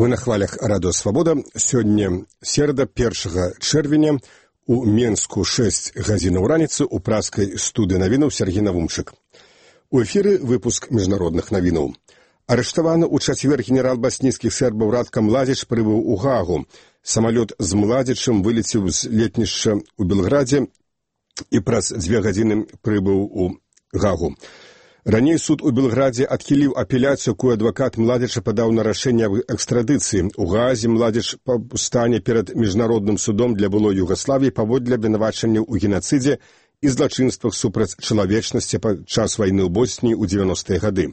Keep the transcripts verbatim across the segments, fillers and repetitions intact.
Вы на хвалях радио «Свобода». Сегодня середа, першага чэрвеня, у Менску шэсць гадзінаў раніцы, у праскай студыі навінаў Сергей Навумчык. У эфіры выпуск міжнародных навінаў. Арыштаваны ў чацвер генерал баснійскіх сербаў Радка Младзіч прыбыў у Гаагу. Самалёт з Младзічым вылецеў з летнішча ў Белградзе і праз дзве гадзіны прыбыў у Гаагу. Раней суд у Белградзе адхіліў апеляцыю, якую адвакат Младзіча падаў на рашэнне аб экстрадыцыі. У Гаазе Младзіч стане перад міжнародным судом для былой Югаславіі паводле абвінавачанняў у генацыдзе і злачынствах супраць чалавечнасці падчас вайны ў Боснії ў дзевяностыя гады.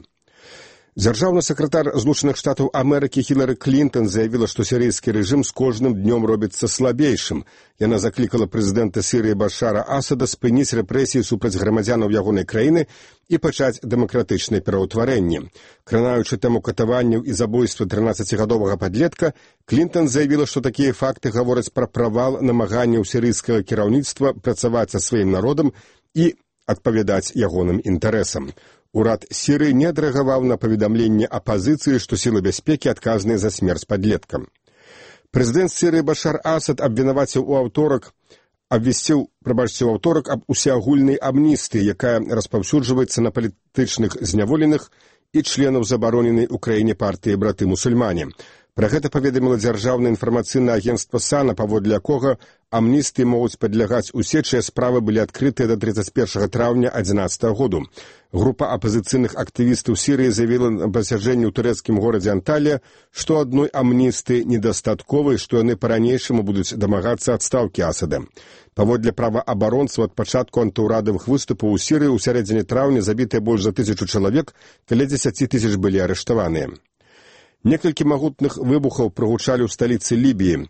Дзяржаўны сакратар Злучаных Штатаў Амерыкі Хілары Клінтон заявіла, што сірыйскі рэжым з кожным днём робіцца слабейшым. Яна заклікала прэзідэнта Сірыі Башара Асада спыніць рэпрэсіі супраць грамадзянаў ягонай краіны і пачаць дэмакратычнае пераўтварэнне. Кранаючы тэму катаванняў і забойства трынаццацігадовага падлетка, Клінтон заявіла, што такія факты гавораць пра правал намаганняў сірыйскага кіраўніцтва працаваць са сваім народам і адпавядаць ягоным інтарэсам. Урад Сірыі не адрэагаваў на паведамленне апазіцыі, што сілы бяспекі адказныя за смерць падлетка. Прэзідэнт Сірыі Башар Асад абвінаваціў у аўторак, абвясціў, прабачце, у аўторак аб усеагульнай амністыі, якая распаўсюджваецца на палітычных зняволеных і членаў забароненай у краіне партыі браты-мусульмане. Пра гэта паведаміла дзяржаўнае інфармацыйнае агенцтва САНА, паводле якога амністыі могуць падлягаць усе, чыя справы былі адкрытыя да трыццаць першага траўня адзінаццатага году. Група апазіцыйных актывістаў Сірыі заявіла на пасяджэнні ў турэцкім горадзе Анталія, што адной амністыі недастаткова і што яны па-ранейшаму будуць дамагацца адстаўкі Асада. Паводле праваабаронцаў, ад пачатку антыўрадавых выступаў у Сірыі ў сярэдзіне траўня забітыя больш за тысячу чалавек, каля дзесяці тысяч былі арыштаваныя. Некалькі магутных выбухаў прагучалі ў сталіцы Лібіі.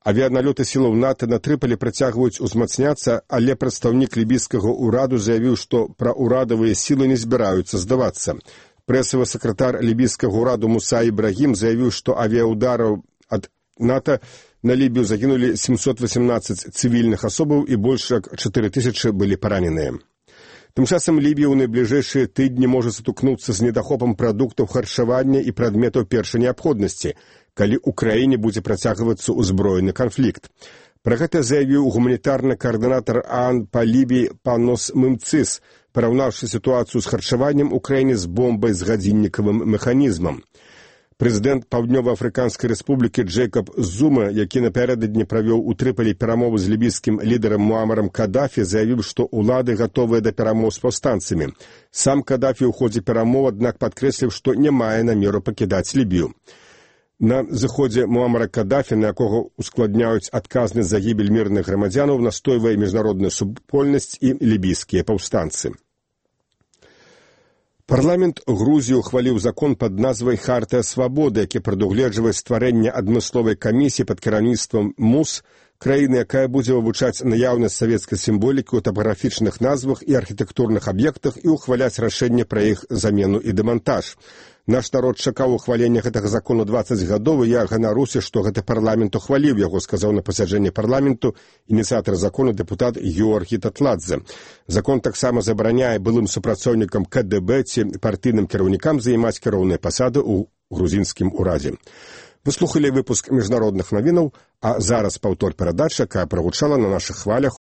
Авіяналёты сілаў НАТО на Трыполі працягваюць узмацняцца, але прадстаўнік лібійскага ўраду заявіў, што праўрадавыя сілы не збіраюцца здавацца. Прэсавы сакратар лібійскага ўраду Муса Ібрагім заявіў, што авіяудараў ад НАТО на Лібію загінулі сямсот васемнаццаць цывільных асобаў і больш як чатыры тысячы былі параненыя. Тым часам Лібія ў найбліжэйшыя тыдні можа сутыкнуцца з недахопам прадуктаў харчавання і прадметаў першай неабходнасці, калі ў краіне будзе працягвацца ўзброены канфлікт. Пра гэта заявіў гуманітарны каардынатар ААН па Лібіі Панос Мымцыс, параўнаўшы сітуацыю з харчаваннем у краіне з бомбай з гадзіннікавым механізмам. Прэзідэнт Паўднёва-Афрыканскай рэспублікі Джэйкаб Зума, які напярэдадні правёў у Трыполі перамовы з лібійскім лідарам Муамарам Кадафі, заявіў, што ўлады гатовыя да перамоў з паўстанцамі. Сам Кадафі ў ходзе перамоў, аднак падкрэсліў, што не мае намеру пакідаць Лібію. На зыходзе Муамара Кадафі, на якога ускладняюць адказнасць за гібель мірных грамадзянаў, настойвае міжнародная супольнасць і лібійскія паўстанцы. Парламент Грузіі ухваліў закон пад назвай «Хартыя свабоды», які прадугледжвае стварэнне адмысловай камісіі пад кіраўніцтвам МУС, краіны, якая будзе вывучаць наяўнасць савецкай сімволікі ў тапаграфічных назвах і архітэктурных аб'ектах і ухваляць рашэнне пра іх замену і дэмантаж. Наш народ чакаў ухвалення гэтага закону дваццаць гадоў, і я ганаруся, што гэты парламент ухваліў яго, сказаў на пасяджэнні парламенту ініцыятар закону дэпутат Георгій Татладзе. Закон таксама забараняе былым супрацоўнікам КДБ ці партыйным кіраўнікам займаць кіроўныя пасады ў грузінскім урадзе. Вы слухалі выпуск міжнародных навінаў, а зараз паўтор перадача, якая прагучала на нашых хвалях